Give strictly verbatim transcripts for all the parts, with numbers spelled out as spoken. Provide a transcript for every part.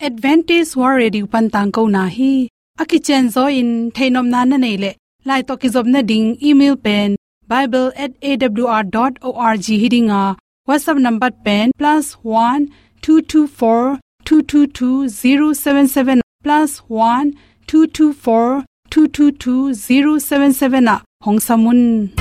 Adventist World Radio pan tangkona hi. A kicianzaw in theihnopna na neih leh, lai tawh kizopna ding email pen bible at A W R dot org hi ding a, WhatsApp number pen plus one two two four two two two zero seven seven, plus one two two four two two two zero seven seven ah hong sam un.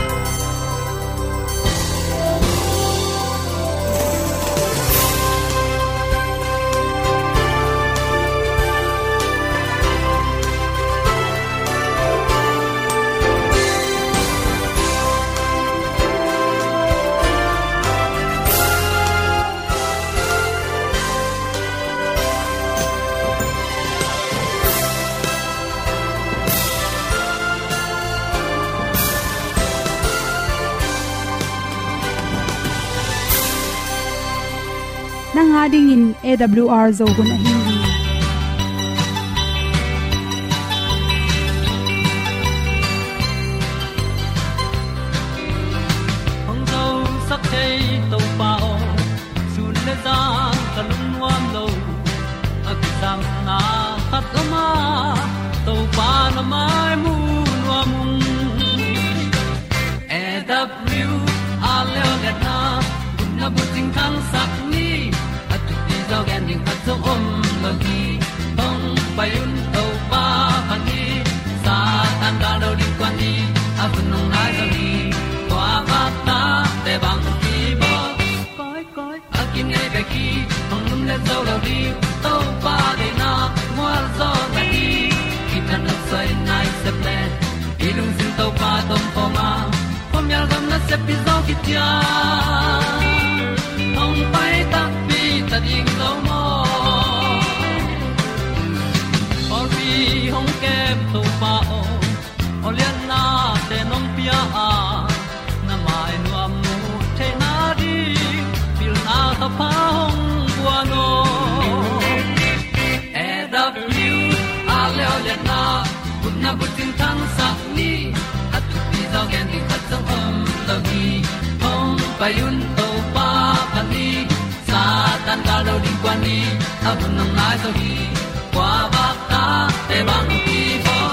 Nang a dingin A W R Zo hun ahi hi. Hong zosak thei Topa aw, sun le zan ka lungnuam lo. A kisangna khat om a, Topa na mai mu nuam ung. A W R Leo Letna, gupna bucing thangsak ni, a thupi zaw gen ding khat zong om lo hi. Hong pai un Topa phat ni, Satan gal lo ding kuan ni, a hun hong nai zaw hi. Tua bak ta te bang hi baw. Koi, koi, a kinei bek hi, hong lum le zo lo ding, Topa deihna mual zaw na hi. Kitang a soi nai sep le, i lungsim Topa tawh om khawm a, khuamial gam nasep pi zaw kician, hong pai takpi ta ding lo maw. Pawlpi hong kem Topa aw, aw lianna te nong pia a, na mai nuam mu theihna ding, pilna thapha hong guan aw. A W R Leo Letna, gupna bucing thangsak ni, a thupi zaw gen ding khat zong om lo hi. Hong pai un Topa phat ni, Satan gal lo ding kuan ni, a hun hong nai zaw hi. Kua bak ta te bang hi baw.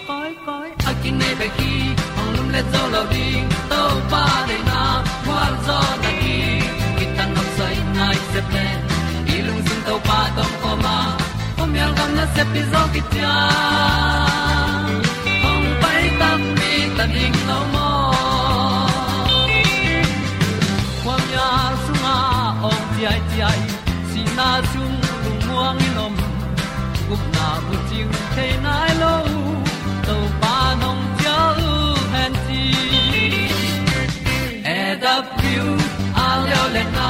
Koi, koi, a kinei bek hi, hong lum le zo lo ding, Topa deihna mual zaw na hi. Kitang a soi nai sep le, i lungsim Topa tawh om khawm a, khuamial gam nasep pi zaw kician, hong pai takpi ta ding lo maw. Khuamial sungah awng ciaiciai, sihna sung lungmuang in om, gupna bucing thei nai lo, Topa nong cial hen ci. A W R Leo Letna,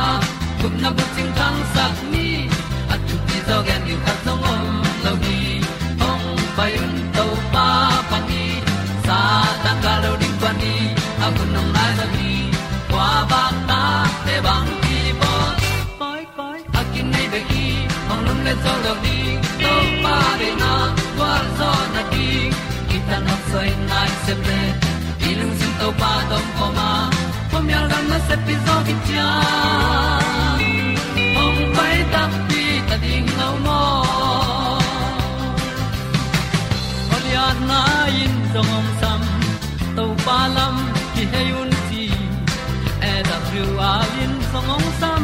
gupna bucing thangsak ni, a thupi zaw gen ding khat zong om lo hi. Hong pai un Topa phat ni, Satan gal lo ding kuan ni, a hun hong nai zaw hi. Kua bak ta te bang hi baw. Koi, koi, a kinei bek hi, hong lum le zo lo ding, Topa deihna gualzawhna ding, kitang a soi nai sep le, i lungsim Topa tawh om khawm a, khuamial gam nasep pi zaw kician, hong pai takpi ta ding lo maw. Aw lianna in zong hong sam, Topa lam kihei un ci. A W R in zong hong sam,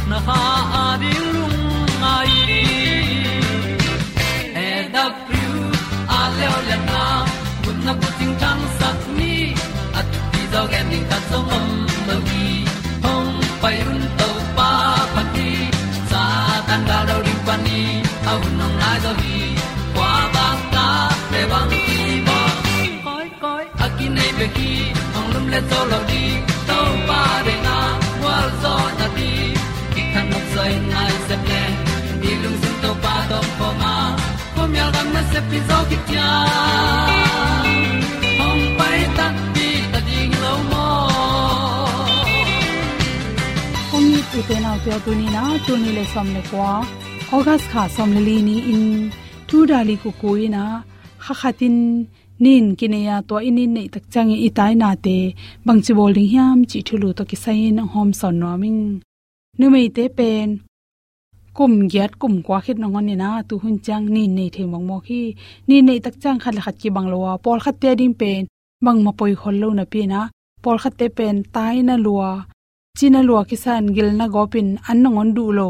na kha a ding lungngai in. A W R Leo Letna, gupna bucing thangsak ni, a thupi zaw gen ding khat zong om lo hi. Hong pai un Topa phat ni, Satan gal lo ding kuan ni, a hun hong nai zaw hi. Kua bak ta te bang hi baw. Koi, koi, a kinei bek hi, hong lum le zo lo ding, Topa deihna gualzawhna ding, kitang a soi nai sep le, i lungsim Topa tawh om khawm a, khuamial gam nasep pi zaw kician, hong pai takpi ta ding lo maw. Hong it i te nau te aw, tuni in ah, tul nih le sawm le kua, August kha sawm le li ni-in, tu dali kuku in ah, kha khat in nin kinei a, tua in nin neih tak ciangin i tainate bangci bawl ding hiam cih thulu tawh kisai-in hong hawmsawn nuam ing. Numeite pen kum giat kum kua khit nangawn in ah tu hun ciang nin nei thei mawkmawk hi. Nin neih tak ciang khat le khat kibang lo a, pawlkhatte a ding pen bangmah poi khol lo napi in ah, pawlkhatte pen tai na lua, ci na lua kisa in, gil na gawp in, an nangawn duh lo,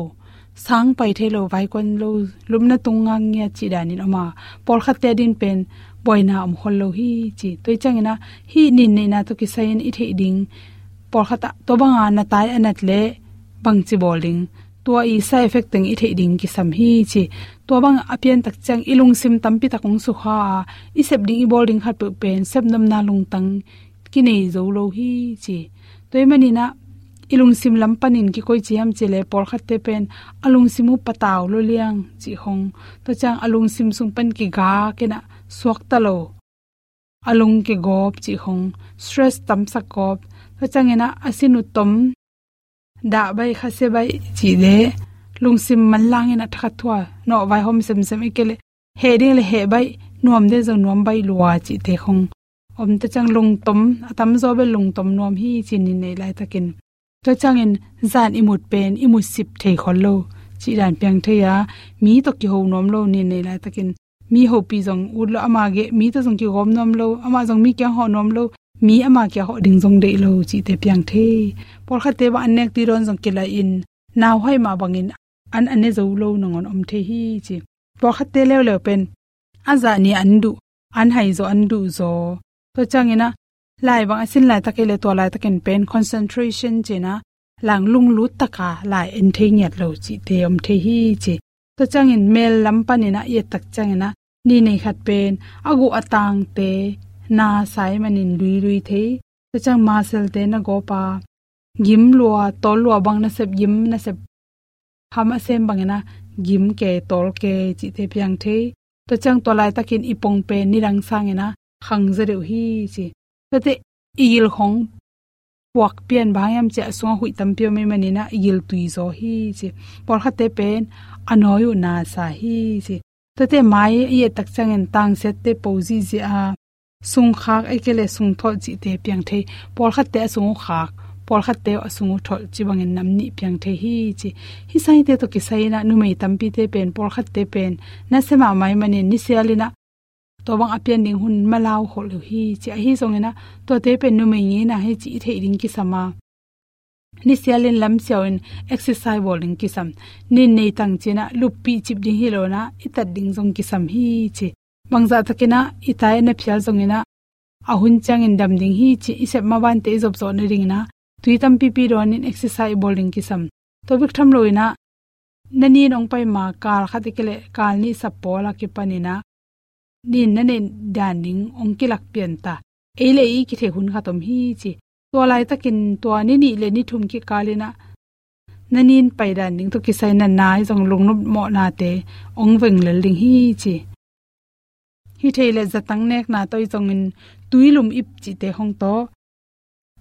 sang pai thei lo, vaikuan lo, lupna tung ngangngiat cih dan in om a, pawlkhatte a ding pen buaina om khol lo hi ci. Tua ciang in ah hih nin neihna tawh kisai in i theih ding, pawlkhat ah tua bang a na tai a nat leh bangci bawl ding, tua i side effect teng i theih ding kisam hi ci. Tua bang a pian tak ciang i lungsim tampi tak hong sukha a, i sep ding i bawl ding khat peuh pen sepnopna lungtang kinei zo lo hi ci. Tua ahih manin ah i lungsim lam panin kikoih ci hiam cih leh, pawlkhatte pen a lungsim uh patau lua liang cih khong, tua ciang a lungsim sung pan kigak in ah suakta lo, a lung kigawp cih khong, stress tamsak gawp, tua ciang in ah a sin uh tom, dah baih, khasia baih cih leh, lungsim manlang in ah thakhat thua nawh, vaihawm semsem, ahih kei leh heh ding leh heh baih, nuam ding zong nuam baih lua cihte khong om, tua ciang lungtom, a tamzaw bel lungtom nuam hi ci, nin neih laitakin. Tua ciangin zan i mut pen i mut sip thei khol lo cih dan piang thei a, mi tawh kiho nuam lo, nin neih laitakin. Mi hopih zong ut lo, ama geh mi tawh zong kigawm nuam lo, amah zong mi kiang hawh nuam lo, mi ama kiang hawh ding zong deih lo cihte piang thei. Pawlkhatte bang an nek tui dawn zong kilaih in, nauhai mah bangin an a ne zo lo nangawn om thei hi ci. Pawlkhatte leuleu pen a zah ni an duh, an hai zaw, an duh zaw. Tua ciang in ah lai bang a sin laitak, ahih leh tua laitakin pen concentration ci in ah, lang lunglut tak a lai en thei ngiat lo cihte om thei hi ci. Tua ciangin mel lam panin ah i et tak ciangin ah, nin neih khat pen a guh a tangte na sa ahih manin luilui thei. Tua ciang muscle-te na gawp a, gim lua, tawl lua bang nasep, gim nasep, ham a sem bangin ah gim kei, tawl kei cihte piang thei. Tua ciang tua laitakin i pong pen nidang sangin ah khang zaw deuh hi ci. Tuate i gil khong puak pian, bang hang hiam cih leh a sungah huih tampi om ahih manin ah i gil tui zaw hi ci. Pawlkhatte pen a nawi uh na sa hi ci. Tuate mai i et tak ciangin tangsiatte po zihziah a, sungkhak, ahih kei leh sungtholh cihte piang thei. Pawlkhatte a sung uh khak, pawlkhatte a sung uh tholh cih bangin nam nih piang thei hi ci. Hih sangte tawh kisai in ah numei tampite pen, pawlkhatte pen nasia mahmah ahih manin nisial in ah tua bang a pian ding hun malau khol uh hi ci. Ahi zongin ah tuate pen numei ngeina hi cih i theih ding kisam a, nisial in lamsiau in exercise bawl ding kisam. Nin nei tang ci in ah luppih cip ding hi lo in ah i tat ding zong kisam hi ci. Bangzah takin ah i tai a na phial zongin ah a hun ciangin dam ding hi cih i sep mabante i zop zawh nadingin ah tui tampipi dawn in exercise i bawl ding kisam. Tua bek tham lo in ah na nin hong pai ma kal khat, ahih kei leh kal nih sap pawl a kipan in ah nin na neih dan ding hong kilak pian ta. Ei le ei i kithei hun khat om hi ci. Tua laitakin tua ni nih le ni thum kikal in ah na nin pai dan ding tawh kisai na nai zong lungnop mawhnate hong veng lel ding hi ci. Hi thei leh zatang nekna tawh, ahi zongin tuilum ip cihte khong tawh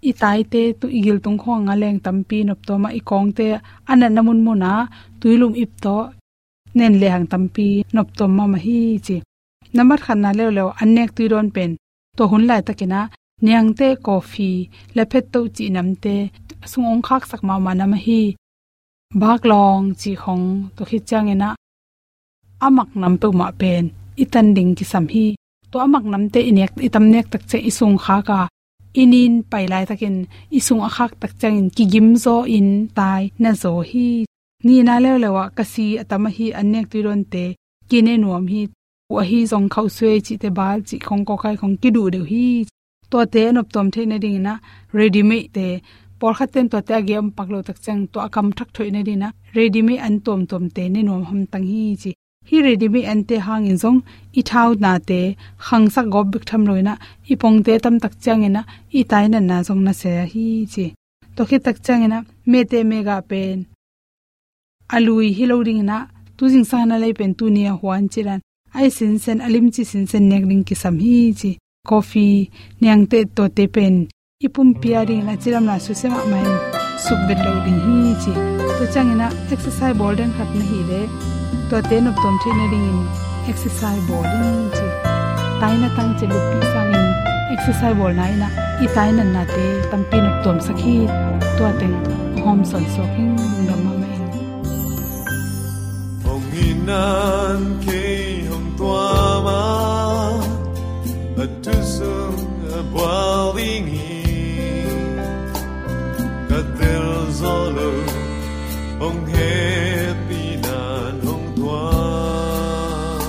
i taite, tu i gil tung khawng a leng tampi noptuam a, i kawngte a natna munmun ah tuilum ip tawh nen lehang tampi noptuam mahmah hi ci. Nambat khatna leuleu, an nek tui dawn pen tua hun laitakin ah niangteh, coffee, laphetto cih namte sung hong khaksak mahmah nam ahi. Baklawng cih khong, tua khit ciangin ah a mak nam peuhmah pen i tan ding kisam hi. Tua a mak namte i nek, i tam nek tak ciang i sung khak a, i nin pai laitakin i sung a khak tak ciangin kigim zaw in tai na zaw hi. Nihna leuleu ah kasi a tam ahi, an nek tui dawnte kine nuam hi. Ahi zong khauhsuai cihte, bal cih khong, kawkai khong kiduh deuh hi. Tuate a noptuam theih nadingin ah ready-made te, pawlkhatte in tuate a gei om pak lo tak ciang tua a kam thak thoih nadingin ah ready-made an tuamtuamte ne nuam hamtang hi ci. Hih ready-made ante hangin zong i thaunate khangsak gawp bek tham lo in ah i pongte tam tak ciangin ah i tai natna zong nasia hi ci. Tua khit tak ciangin ah mete megah pen a lui hi lo dingin ah, tu zingsang na lei pen tuni a huan cih dan, a i sinsen, a limci sinsen nek ding kisam hi ci. Coffee, niangteh, tuate pen i pumpi a dingin a cidamna susia mahmah in suk bet lo ding hi ci. Tua ciangin ah exercise bawl den khat na hih leh tuate noptuam theih nadingin exercise bawl ding ci. Taina tang ci, luppih sangin exercise bawlna in ah i tai natnate tampi noptuamsak hi. Tua teng hawm sawnsuak hi ing. Lungdam mahmah ing. Nan kei hong tuam a, a thu sung a bual ding hi. Ka tel zo lo, hong hehpih nan hong tuam.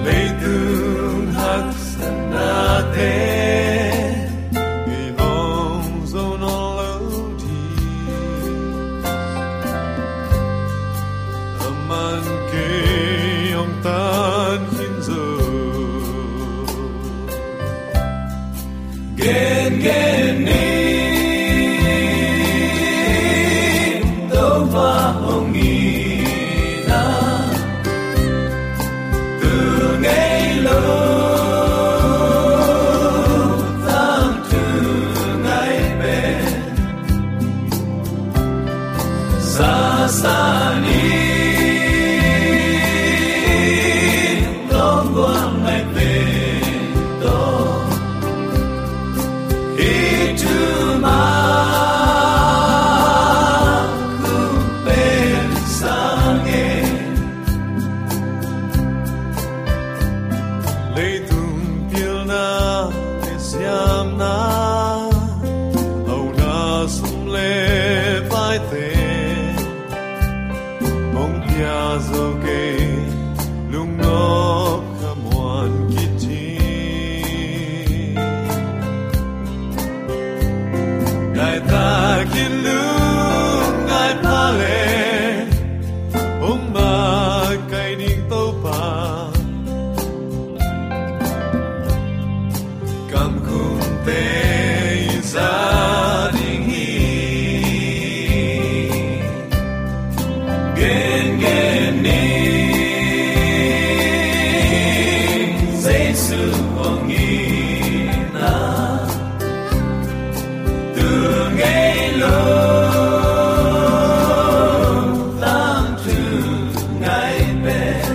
Leitung haksatnate i hong zo nawn lo ding. Aman kei hong tan khin zo. Gen gen ni, Topa hong itna, tu ngei lo, tangthu ngai pen. Sasa ni, tong guang ngai pen tong. I thu ma kung pen sang e. Leitung pilna le siamna, hauna sum le paite, hong pia zo kei, lungnop khamuan kit hi. Ngai takin lungngai pha le, hong makaih ding Topa. Kamkumte i za ding hi. Gen gen ni, Jesu hong itna, tu ngei lo, tangthu ngai pen.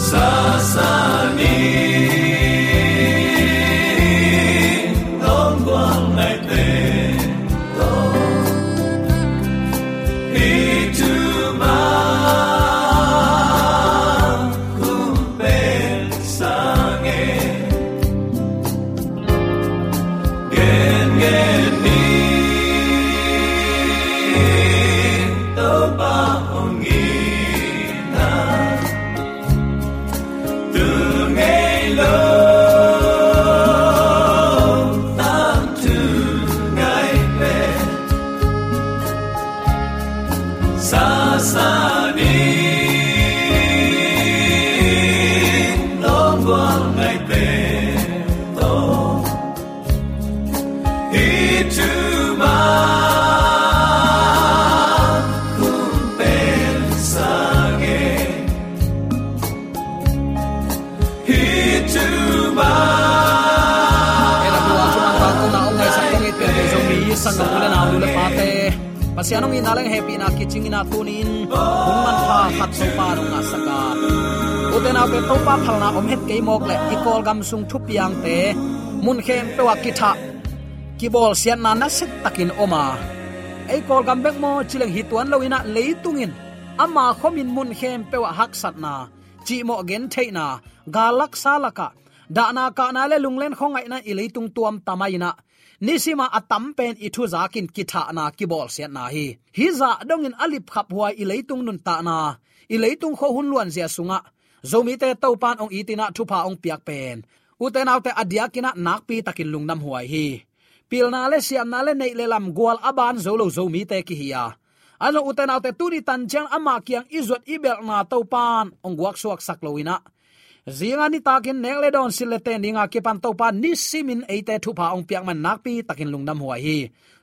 Sasa ni, tong guang ngai pen tong. I thu ma kung pen sang e. Gen gen ni, Topa hong itna, tu ngei lo, tangthu ngai pen. Sasa ni, tong guang ngai pen tong. I thu ma kung pen sang e. I thu ma. Ei, lam luang thu man tangkona hong ngaisak kong it pian Zomi sanggam u le nau, nu le pate, Pasian hong itna le hehpihna kicing in ah tuni-in hun manpha khat Topa in hong ngahsak a. Ute naute, Topa phalna om het kei mawk leh i Kawlgam sung thupiangte mun khempeuh ah kithah, kibawlsiatna nasia takin om a. Ei Kawlgam bek maw ci leng hi tuan lo in ah, leitung in ama khomin mun khempeuh ah haksatna, cihmawh gentheihna, gal laksa lakah dahna kahna le lunglen khuangaihna in i leitung tuam tam a in ah, nisim a a tam pen i thuzakin kithahna, kibawlsiatna hi. Hih zah dongin a lipkhaphuai i leitung nuntakna, i leitung khuahun luanzia sungah Zomite Topa in hong it in ah thupha hong piak pen, ute naute, a diakin ah nakpi takin lungdamhuai hi. Pilna le siamna le neih le lam gual a ban zo lo Zomite kihi a. Ahi zong ute naute, tuni tan ciang amah kiang i zuat i belhna Topa in hong guaksuaksak lo in ah, zinga nitakin nek le dawn, silh le ten dinga kipan Topa nisimin eite thupha hong piak man nakpi takin lungdamhuai hi.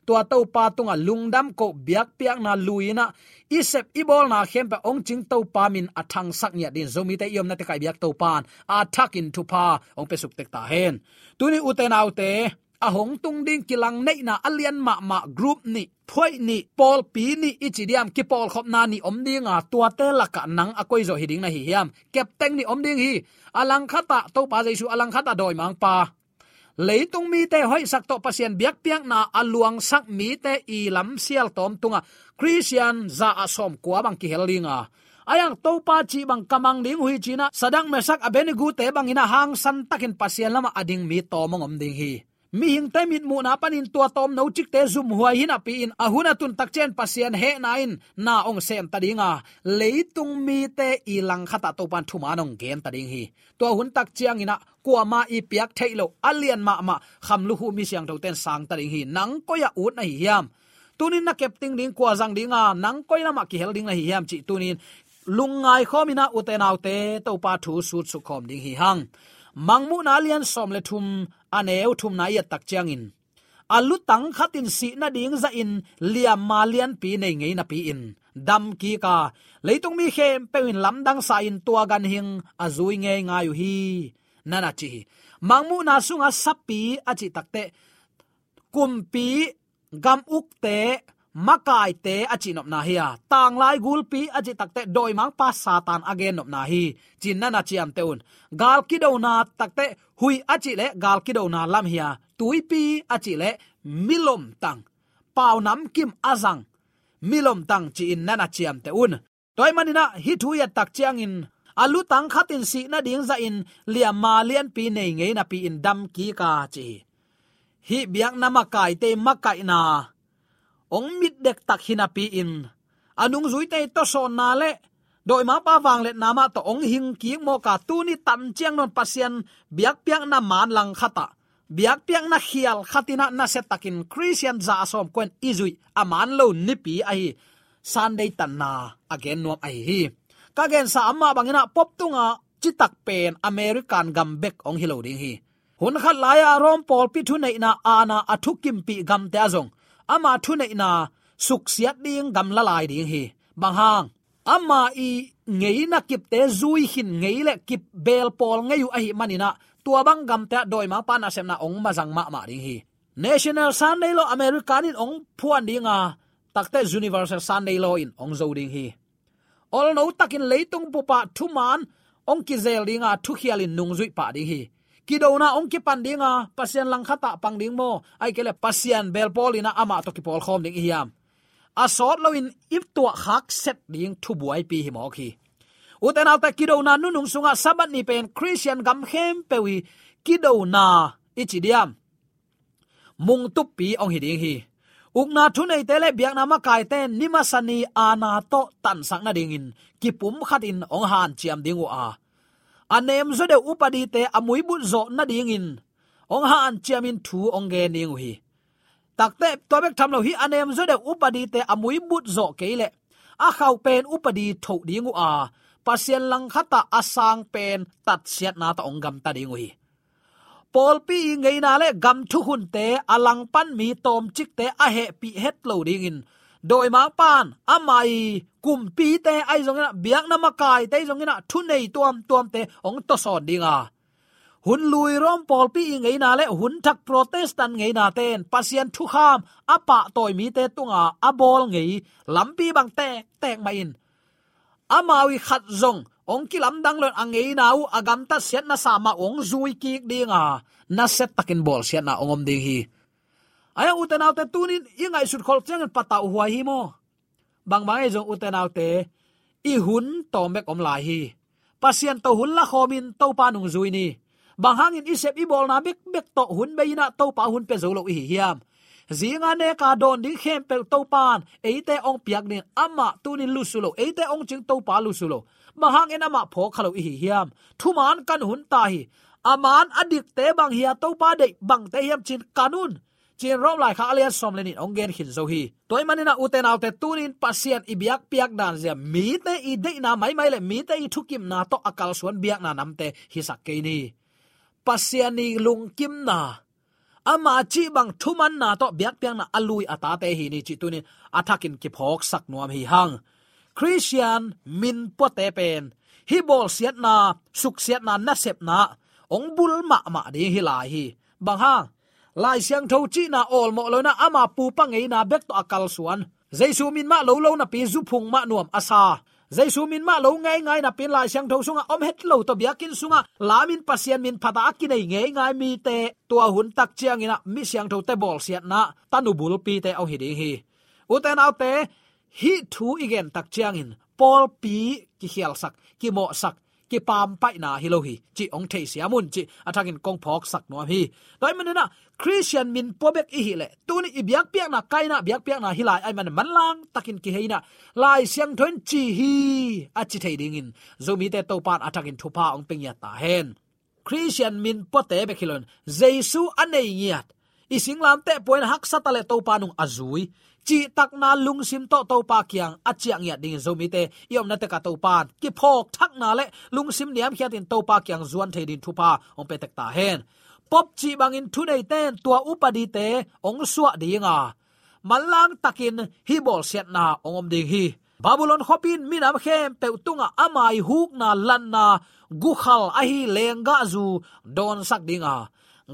Tua Topa tungah lungdam koh, biakpiakna lui in ah, i sep i bawlna khempeuh hong cing Topa min a thangsak ngiat dingin Zomite i omna tekah i biak Topa in a thakin thupha hong piasuk tek ta hen. Tuni ute naute, a hong tung ding kilangneihna a lian mahmah group nih, phuaih nih, pawlpi nih i ci diam, kipawlkhopna nih om ding a, tuate lakah nang a koizaw hi ding na hi hiam? Captain nih om ding hi. A langkhatah Topa Jesu, a langkhatah dawimangpa. Leitung mite hoihsak tawh Pasian biakpiakna a luangsak mite i lamsial tawm tungah Khristian za ah sawmkua bang kihel dinga, a iang Topa cih bang ka mang ding uh hi cinah Sadak, Mesak, Abednego-te bangin a hangsan takin Pasian lamah a ding mi tawm hong om ding hi. Mihingte mitmuhna panin tua tawm no cikte zumhuai hi napi-in a hun a tun takciangin Pasian hehna in na hong semta dinga, leitung mite i langkhatah Topan thuman hong genta ding hi. Tua hun takcianginah kuama i piak theih loh a lian mahmah khamlukhu mi siangthoten sangta ding hi. Nang koi-ah ut na hi hiam? Tunin na kepting ding, kua zang dinga, nang koi lamah kihel ding na hi hiam cih tunin lungngai khawminah ute naute Topa thu sutsuk khawm ding hi hang. Mangmuhna lian sawm le thum, a neu thumna i et takciangin, a lutang khatin sih nading zahin liamma lianpi nei ngei napi-in dam kika, leitung mi khempeuh in lamdang sa-in tua ganhing a zui ngeingai uh hi, na na ci hi. Mangmuhna sunga sapi a cih takteh kumpi, gam ukte, makaite a cihnopna hi a, tanglai gulpi a cih takteh dawimangpa Satan a gennopna hi, ci-in na na ciamteh un. Gal kidona takteh huih a cih leh gal kidona lam hi a, tuipi a cih leh milomtang, pau namkim a zang milomtang ci-in na na ciamteh un. Tua ahih maninah hih thu i et takciangin, a lutang khatin sih nading zahin liamma lianpi nei ngei napi-in dam kika ci hi. Hih biakna makaite makaihna hong mitdektak hi napi-in a nungzuite tawsawnna le dawimangpa vangliatna mah tawh hong hingkik mawka, tuni tanciang nawn Pasian biakpiakna man langkhatah, biakpiakna khial khatinah nasiatakin Khristian za a sawmkua in i zuih a man lo nipi ahi Sunday tanna a gen nuam ahi hi. Ka gensa amah banginah pop tungah citak pen American gam bek hong hi lo ding hi. Hun khat lai-a Rome pawlpi thuneihna aana a thukimpih gamte ah zong ama thuneihna suksiat ding gamla lai ding hi. Bang hang? Ama i ngeina kipte zui khin ngei le kip belpawl ngei uh ahih maninah tua bang gamte ah dawimangpa nasepna hong mazang mahmah ding hi. National Sunday Law American in hong phuan dinga, takteh Universal Sunday Law in hong zo ding hi. Olno takin leitung bupah thuman hong kizel dinga, thukhialin nungzuih pah ding hi. Kidona hong kipan dinga, Pasian langkhatah pang ding maw, ahih kei leh Pasian belpawl inah amah tawh kipawlkhawm ding i hiam? A sawt loin i tuahkhak set ding thubuaipi hi mawk hi. Ute naute, kidona nunung sungah Sabbath ni pen Khristian gam khempeuh i kidona i ci diam, mungtuppi hong hi ding hi. Ukna thuneite le biakna makaite ni masa ni aana tawh tansak nadingin kipumkhatin hong hanciam ding uh a, a nemzaw deuh upadite a muibut zawh nadingin hong hanciamin thu hong gen ding uh hi. Takteh tua bek tham lo, hih a nemzaw deuh upadite a muibut zawh kei leh a khauh pen upadi thoh ding uh a, Pasian langkhatah a sang pen tatsiatna tawh hong gamta ding uh hi. Pawlpi i ngeina le gam thukhunte, a langpan mi tawmcikte a hehpih het lo dingin dawimangpan ama i kumpite ahi zonginah, biakna makaite ahi zonginah, thunei tuamtuamte hong tawsawn dinga, hun lui Rome pawlpi i ngeina le hun thak Protestant ngeinate in Pasian thukham a pahtawi mite tunga a bawl ngei lampi bang tektek mah in, amau i khat zong hong kilamdang loin a ngeina uh, a gamtat siatna sa mah uh hong zui kik dinga, nasiatakin bawlsiatna hong om ding hi. Ahi hang ute naute, tunin i ngaihsut kholh ciangin patauhuai hi maw? Bangbang ahi zong ute naute, i hun tawm bek om lai hi. Pasian tawh hun lakhawmin Topa nungzui ni. Bang hangin i sep i bawlna bekbek tawh hun bei inah Topa hun pia zo lo i hi hiam? Zinga neka dawn ding khempeuh Topan eite hong piak ding, amah tunin lusu lo, eite hong cing Topa lusu lo. Bang hangin amah phawk kha lo i hi hiam? Thuman kan hun ta hi. A man a dikte bang hi a, Topa deih bangte hiam ci-in kan un, ci-in Rome laikhak a lian sawm le nih in hong gen khin zo hi. Tua ahih maninah ute naute, tunin Pasian i biakpiak dan zia mite i deihna maimai le mite i thukimna tawh a kalsuan biakna namte hisak kei ni. Pasian i lungkimna, ama cih bang thumanna tawh biakpiakna a lui a tate hi ni cih tunin a thakin kiphawksak nuam hi hang. Khristian minpuate pen hih bawlsiatna, suksiatna, nasepna hong bul mahmah ding hi lai hi. Bang hang? Lai Siangtho cihna awlmawh lo inah ama pupa ngeina bek tawh a kalsuan, Jesu min mah lo lo napi zuphung mah nuam a sa, Jesu min mah lo ngeingai napi-in Lai Siangtho sungah om het lo tawh biakinn sungah lamin Pasian min phat a kinei ngeingai mite tua hun tak ciangin ah mi siangthote bawlsiatna tanu bulpite hong hi ding hi. Ute naute, hih thu i gen tak ciangin pawlpi kikhialsak, kimawhsak, kipampaihna hi lo hi cih hong theisiam un cih a thakin kong phawksak nuam hi. Tua ahih manin ah Khristian min pua bek i hih leh tuni i biakpiakna, kaina biakpiakna hi lai ahih manin manlang takin kihei in ah Lai Siangtho in ci hi a ci thei dingin Zomite Topa in a thakin thupha hong pia ngiat ta hen. Khristian min puate bek hi loin Jesu a nei ngiat, i singlamteh pua in haksa ta leh Topa nung a zui, cihtakna lungsim tawh Topa kiang a ciah ngiat dingin Zomite i omna tekah Topa in kiphawk thakna le lungsim niamkhiatin Topa kiang zuan thei dingin thupha hong pia tek ta hen. Pope cih bangin thuneite in tua upadite hong suah ding a, manlang takin hih bawlsiatna hong om ding hi. Babylon khuapi in minam khempeuh tungah ama ii hukna lanna gukhal ahi lenggahzu dawnsak ding a,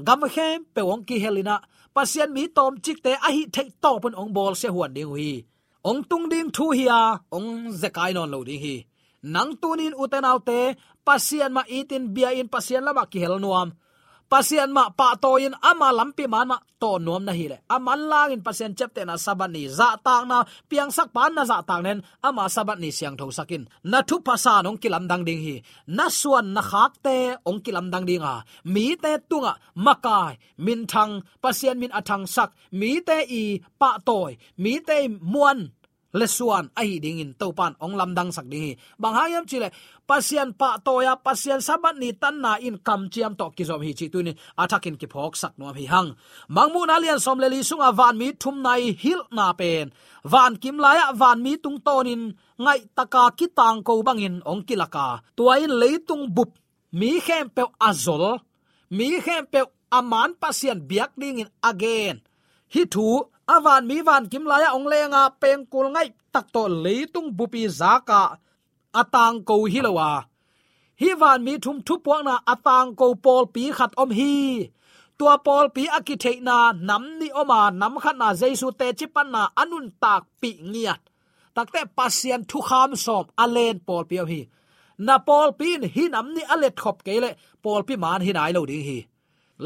gam khempeuh hong kihel in ah Pasian mi tawmcikte a hih theih tawpin hong bawlsia huan ding uh hi. Hong tung ding thu hi a, hong zekai nawn lo ding hi. Nang tuni-in ute naute, Pasian mah itin bia-in Pasian lamah kihel nuam, Pasian mah pahtawi-in ama lampi maan mah tawn nuam na hih leh, a manlangin Pasian ciaptehna Sabbath ni zahtakna, piangsakpa in na zahtakna in ama Sabbath ni siangthosak in, na thupha san hong kilamdang ding hi. Na suan na khakte hong kilamdang ding a, mite tungah makai, minthang, Pasian min a thangsak, mite ii pahtawi, mite ii muan le suan ahi dingin Topa in hong lamdangsak ding hi. Bang hang hiam cih leh Pasian pahtawi a, Pasian Sabbath ni tanna in kamciam tawh kizom hi cih tuni-in a thakin kiphawksak nuam hi hang. Mangmuhna lian sawm le li sungah vanmi thumna ii hilhna pen, vankim lai-ah vanmi tungtawnin ngaihtaka kitangko bangin hong kilak a, tua in leitung bup mi khempeuh a zol, mi khempeuh a maan Pasian biak dingin a gen. Hih thu, a vanmi vankim lai-ah hong leng a, pengkul ngaihtak tawh leitung bup ii zak a, a tangko hi lo a, hih vanmi thum thupuakna a tangko pawlpi khat om hi. Tua pawlpi a kitheihna nam nih om a, nam khatna Jesu teci panna a nuntakpih ngiat. Takte Pasian thukham sawm a len pawlpi om hi. Na pawlpi in hih nam nih a letkhop kei leh pawlpi maan hi nai lo ding hi.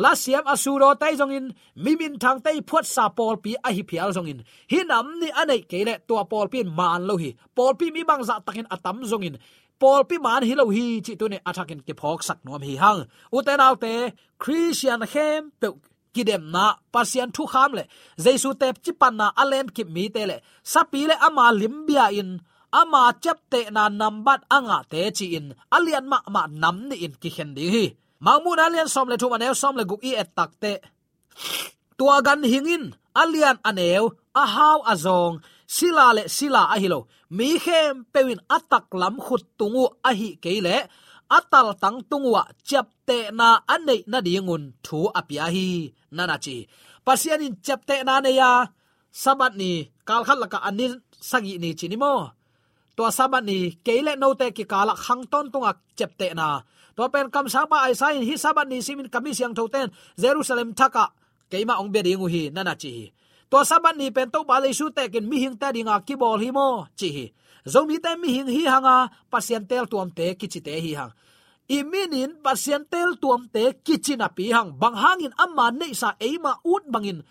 Lasiam a sudawte ii zongin, mi minthangte ii phuatsa pawlpi ahi phial zongin, hih nam nih a neih kei leh tua pawlpi in maan lo hi. Pawlpi mi bangzah takin a tam zongin pawlpi maan hi lo hi cih tuni-in a thakin kiphawksak nuam hi hang. Ute naute, Khristian khempeuh kidemna, Pasian thukham le Jesu teci panna a lenkip mite le sapi le ama lim bia-in ama ciaptehna nambat a ngahte ci-in a lian mahmah nam nih in kikhen ding hi. Mangmuhna lian sawm le thum, a neu sawm le guk i et takteh, tua ganhing in a lian a neu, a hau a zawng, sila le sila ahi lo, mi khempeuh in a taklam khut tung uh ahih kei leh a taltang tung uhah ciaptehna a neih nadingun thu a pia hi, na na ci hi. Pasian in ciaptehna nei a, Sabbath ni, kalkhat lakah a ni sagih ni ci ni maw? Tua Sabbath ni, kei le note kikalah khang tawntunga ciaptehna. Tua pen kamsangpa Isaiah in, hih Sabbath ni simin ka mi siangthote in Jerusalem thakah keimah hong bia ding uh hi, na na ci hi. Tua Sabbath ni pen Topa Jesu tekin mihingte dinga kibawl hi maw, ci hi. Zomite mihing hi hanga, Pasian teeltuamte kicite hi hang. I minin Pasian teeltuamte kici napi hang, bang hangin ama neihsa eima ut bangin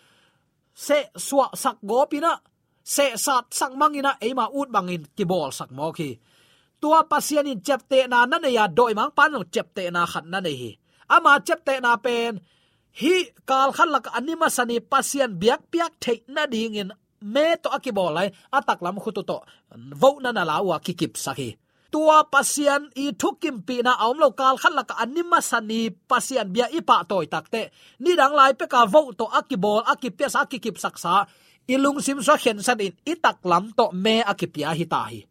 sehsuahsak gawpin ah, sehsatsak mangin ah, eima ut bangin kibawlsak mawk hi. Tua Pasian in ciaptehna na nei a, dawimangpa in zong ciaptehna khat na nei hi. Ama ciaptehna pen hih kalkhat lakah a ni masa ni Pasian biakpiak theih nadingin me tawh a kibawl lai, a taklam khut uh tawh vohna na la uh a kikipsak hi. Tua Pasian ii thukimpihna a om lo, kalkhat lakah a ni masa ni Pasian bia i pahtawi takteh, nidang lai peka voh tawh a kibawl, a kipiasa, a kikipsaksa, i lungsim sua khensat in i taklam tawh me a kipia hi ta hi.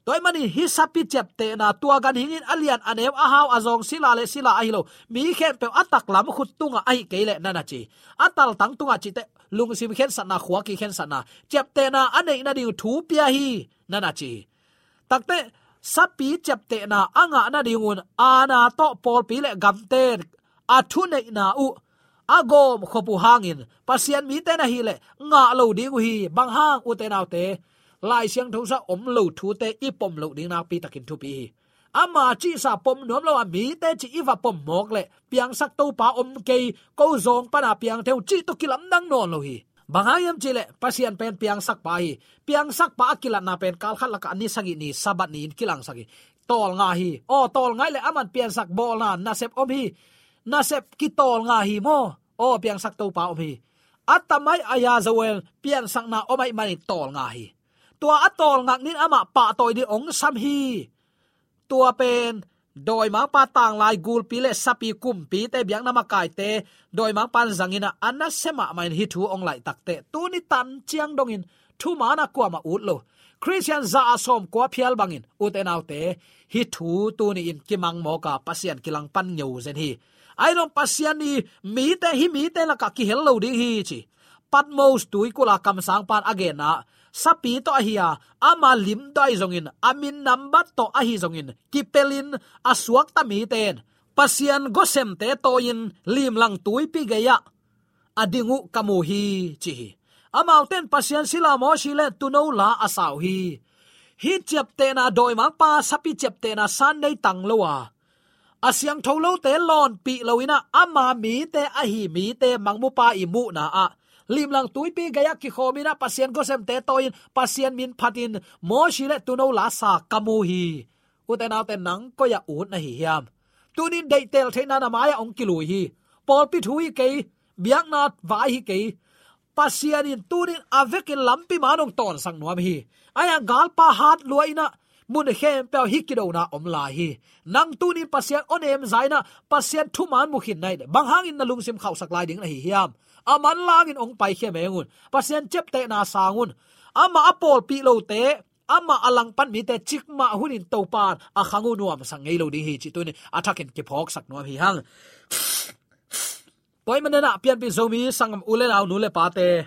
Tua ahih manin hih sapi ciaptehna, tua ganhing in a lian a neu, a hau a zawng, sila le sila ahi lo, mi khempeuh a taklam khut tungah ahih kei leh, na na ci hi. A taltang tungah cihteh lungsim khensatna, khua kikhensatna, ciaptehna a neih nading thu pia hi, na na ci hi. Takteh, sapi ciaptehna a ngah nadingun aana tawh pawlpi le gamte in a thuneihna uh a gawmkhop uh hangin Pasian mite na hih leh ngah lo ding uh hi. Bang hang, ute naute? Lai Siangtho sungah om lo thute i pom loh ding nakpi takin thupi hi. Ama cihsa pom nuam lo a mite cih i va pom mawk leh, piangsak Topa om kei, ko zawng pana piang thei ung cih tawh kilamdang nawn lo hi. Bang hang hiam cih leh Pasian pen piangsakpa hi. Piangsakpa a kilatna pen kalkhat lakah ni sagih ni, Sabbath ni-in kilangsak hi. Tawlnga hi. Aw, tawlnga hi leh aman piansak bawlna nasep om hi. Nasep kitawlnga hi maw. Aw, piangsak Topa om hi. A tamai a ya Joel piansakna om ahih manin tawlnga hi. Tua a tawlngak nin amah pahtawi ding hong sam hi. Tua pen dawimangpa tanglai gulpi le sapi kumpite biakna makaite dawimangpan zangin a, a nasia mahmah in hih thu hong laih takteh, tuni tan ciang dongin thuman a kuamah ut lo Khristian za a sawmkua phial bangin, ute naute, hih thu tuni-in kimang mawk a, Pasian kilang pan ngeu zen hi. Ahi zong Pasian i mite, hih mite lakah kihel lo ding hi ci. Patmos tuikulh a kamsangpan a genna, sapi tawh ahi a, ama lim tawh ahi zongin, a min nambat tawh ahi zongin, kipelin a suakta mite in Pasian gawsemte tawi-in limlang tuipi gei-ah a ding uh ka mu hi, ci hi. Amaute in Pasian sila Mosi le tuuno la a sa uh hi. Hih ciaptehna, dawimangpa sapi ciaptehna Sunday tang lo a, a siangtho lote lawnpih lo-in a, ama mite ahi mite mangmupa i muhna ah, limlang tuipi gei-ah kikhawm-in a, Pasian gawsemte tawi-in Pasian min phatin Mosi le tuuno la sa ka mu hi. Ute naute, nang koi-ah ut na hi hiam? Tuni-in deihtel theihna na mai-ah hong kilui hi. Pawlpi thu hi kei, biakna vai hi kei. Pasian in tuni-in a vekin lampi man hong tawnsak nuam hi. Ahi a, galpa hat lua-in a, mun khempeuh ah hih kidona om lai hi. Nang tuni-in Pasian awnem za-in a, Pasian thuman mu khin na hih leh, bang hangin na lungsim khauhsak lai ding na hi hiam? A manlangin hong paikhia meng un. Pasian ciaptehna sang un. Amah a pawlpih lote, amah a langpan mite cikmah hunin Topan a khang uh nuamsak ngei lo ding hi, cih tuni-in a thakin kiphawksak nuam hi hang. Tua ahih manin a, pianpih Zomi sanggam u le nau, nu le pate,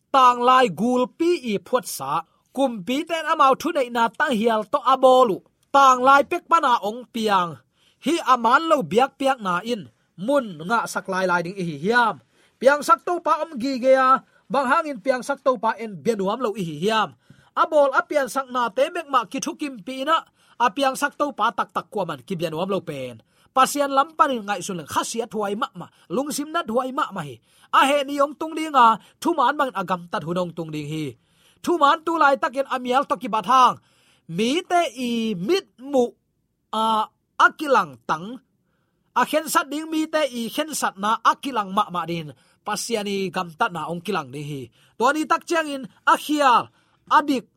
tanglai gulpi i phuatsa, kumpite in amau thuneihna tanghial tawh a bawl uh, tanglai pek pana hong piang, hih a man lo biakpiakna in mun ngahsak lailai ding i hi hiam? Piangsak Topa om gige a, bang hangin piangsak Topa en bia nuam lo i hi hiam? A bawl a piansaknate bek mah kithukimpih-in a, a piangsak Topa taktak kuaman kibia nuam lo pen, Pasian lam panin ngaihsun leng khasiathuai mahmah, lungsim nathuai mahmah hi. A heh ni hong tung ding a, thuman bangin a gamtat hun hong tung ding hi. Thuman tu laitakin a mial tawh kibat hang, mite i mitmuh a, a kilangtang, a khensat ding mite i khensatna a kilang mahmah dingin Pasian i gamtatna hong kilang ding hi. Tua ni tak ciangin a khial, a dik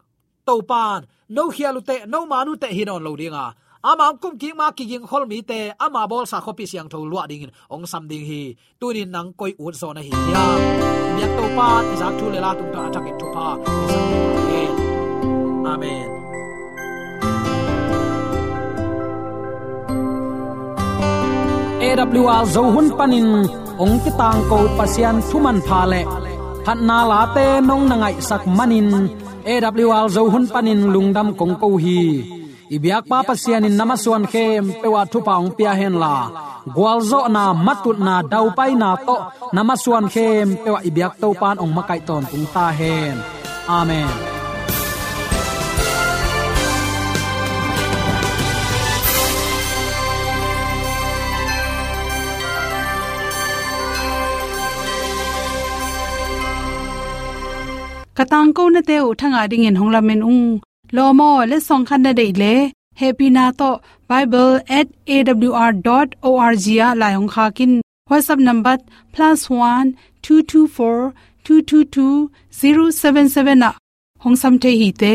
Topan, no khial uh teh, no man uh teh hi nawn lo ding a, ama hong kumkik ma kigingkhol mite ama bawlsa khuapi siangtho luah dingin hong sam ding hi. Tuni-in nang koi ut zaw na hi hiam? Biak Topa i zak thu le la tungtawn a thakin thupha i sak ding hi. Amen. A W R Zo hun panin hong kitangko Pasian thu manpha le phatna late nong na ngaihsak manin A W R Zo hun panin lungdam kong ko hi. I biakpa Pasian in na masuan khempeuh ah thupha hong pia henla, gualzawhna, matutna, daupaina tawh na masuan khempeuh ah i biak Topan hong makaih tawntung ta hen. Amen. Ka tangkonate uh thangah dingin hong lamen ung. Lawm aw, letsong khat na deih leh, hehpihna tawh bible at A W R dot O R G ah lai hong khak in. WhatsApp number plus one two two four two two two zero seven seven ah hong sam thei hi te.